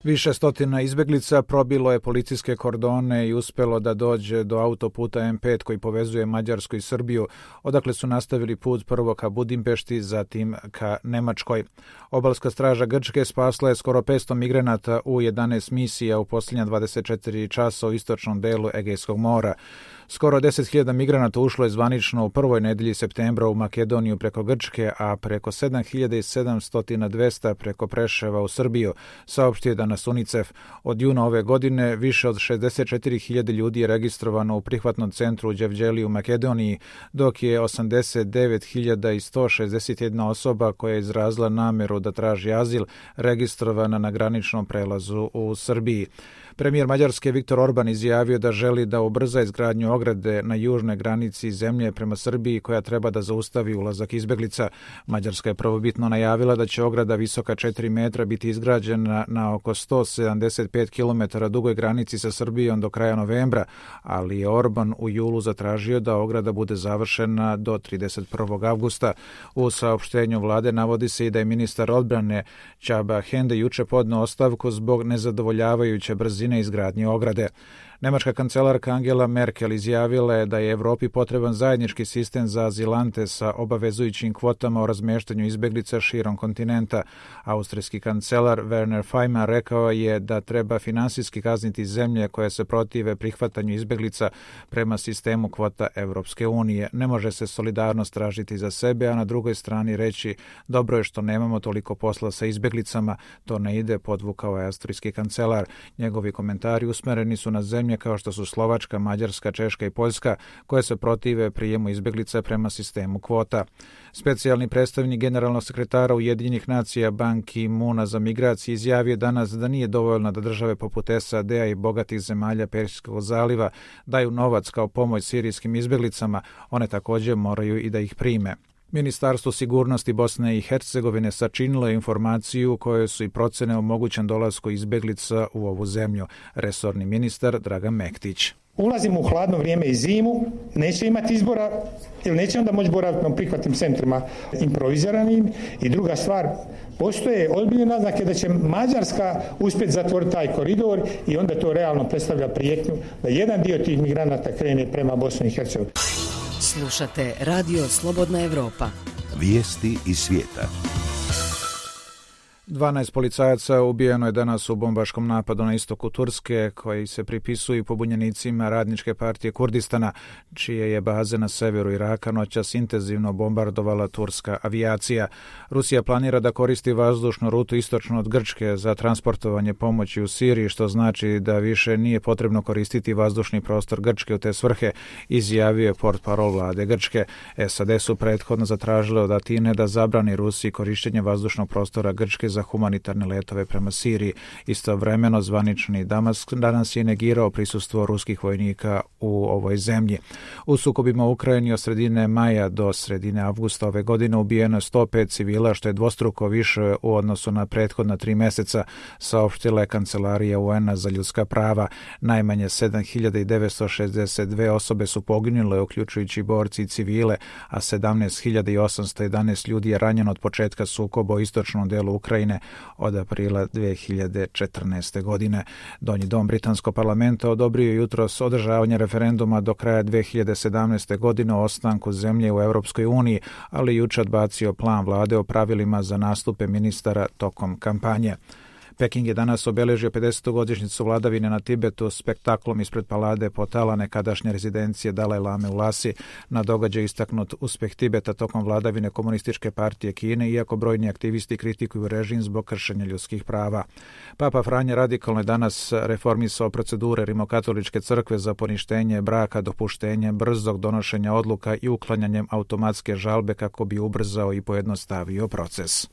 Više stotina izbeglica probilo je policijske kordone i uspelo da dođe do autoputa M5 koji povezuje Mađarsku i Srbiju, odakle su nastavili put prvo ka Budimpešti, zatim ka Nemačkoj. Obalska straža Grčke spasla je skoro 500 migranata u 11 misija u posljednja 24 časa u istočnom delu Egejskog mora. Skoro 10.000 migranata ušlo je zvanično u prvoj nedelji septembra u Makedoniju preko Grčke, a preko 7.700 preko Preševa u Srbiju, saopštio je danas UNICEF. Od juna ove godine više od 64.000 ljudi je registrovano u prihvatnom centru u Đevđeli u Makedoniji, dok je 89.161 osoba koja je izrazila nameru da traži azil registrovana na graničnom prelazu u Srbiji. Premijer Mađarske Viktor Orban izjavio da želi da ubrza izgradnju ograde na južnoj granici zemlje prema Srbiji koja treba da zaustavi ulazak izbeglica. Mađarska je prvobitno najavila da će ograda visoka 4 metra biti izgrađena na oko 175 km dugoj granici sa Srbijom do kraja novembra, ali je Orban u julu zatražio da ograda bude završena do 31. avgusta. U saopštenju vlade navodi se i da je ministar odbrane Csaba Hende juče podneo ostavku zbog nezadovoljavajuće brzine izgradnje ograde. Nemačka kancelarka Angela Merkel izjavila je da je Evropi potreban zajednički sistem za azilante sa obavezujućim kvotama o razmeštanju izbeglica širom kontinenta. Austrijski kancelar Werner Faymann rekao je da treba finansijski kazniti zemlje koje se protive prihvatanju izbeglica prema sistemu kvota Evropske unije. Ne može se solidarnost tražiti za sebe, a na drugoj strani reći dobro je što nemamo toliko posla sa izbeglicama, to ne ide, podvukao je austrijski kancelar. Njegovi komentari usmereni su na zemlje kao što su Slovačka, Mađarska, Češka i Poljska, koje se protive prijemu izbeglica prema sistemu kvota. Specijalni predstavnik generalnog sekretara Ujedinjenih nacija Ban Ki-moona za migracije izjavio danas da nije dovoljno da države poput SAD-a i bogatih zemalja Perzijskog zaliva daju novac kao pomoć sirijskim izbeglicama, one također moraju i da ih prime. Ministarstvo sigurnosti Bosne i Hercegovine sačinilo je informaciju u kojoj su i procene o mogućem dolasku izbeglica u ovu zemlju. Resorni ministar Dragan Mektić. Ulazimo u hladno vrijeme i zimu, neće imati izbora ili neće onda moći boraviti na prihvatnim centrima improviziranim. I druga stvar, postoje ozbiljne naznake da će Mađarska uspjeti zatvoriti taj koridor i onda to realno predstavlja prijetnju da jedan dio tih migranata krene prema Bosni i Hercegovini. Slušate Radio Slobodna Evropa. Vijesti iz svijeta. 12 policajaca ubijeno je danas u bombaškom napadu na istoku Turske, koji se pripisuju pobunjenicima Radničke partije Kurdistana, čije je baze na severu Iraka noćas intenzivno bombardovala turska avijacija. Rusija planira da koristi vazdušnu rutu istočno od Grčke za transportovanje pomoći u Siriji, što znači da više nije potrebno koristiti vazdušni prostor Grčke u te svrhe, izjavio je portparol vlade Grčke. SAD su prethodno zatražile od Atine da zabrani Rusiji korištenje vazdušnog prostora Grčke za humanitarne letove prema Siriji. Istovremeno zvanični Damask danas je negirao prisustvo ruskih vojnika u ovoj zemlji. U sukobima u Ukrajini od sredine maja do sredine avgusta ove godine ubijeno je 105 civila, što je dvostruko više u odnosu na prethodna 3 mjeseca, saopštila je Kancelarija UN-a za ljudska prava. Najmanje 7.962 osobe su poginule, uključujući borci i civile, a 17.811 ljudi je ranjeno od početka sukoba u istočnom delu Ukrajine od aprila 2014. godine. Donji dom britanskog parlamenta odobrio jutros održavanje referenduma do kraja 2017. godine o ostanku zemlje u Europskoj uniji, ali juče odbacio plan vlade o pravilima za nastupe ministara tokom kampanje. Peking je danas obeležio 50. godišnjicu vladavine na Tibetu spektaklom ispred Palade Potala, nekadašnje rezidencije Dalaj Lame u Lasi. Na događaju istaknut uspjeh Tibeta tokom vladavine Komunističke partije Kine, iako brojni aktivisti kritikuju režim zbog kršenja ljudskih prava. Papa Franje radikalno je danas reformisao procedure Rimokatoličke crkve za poništenje braka, dopuštenje brzog donošenja odluka i uklanjanjem automatske žalbe kako bi ubrzao i pojednostavio proces.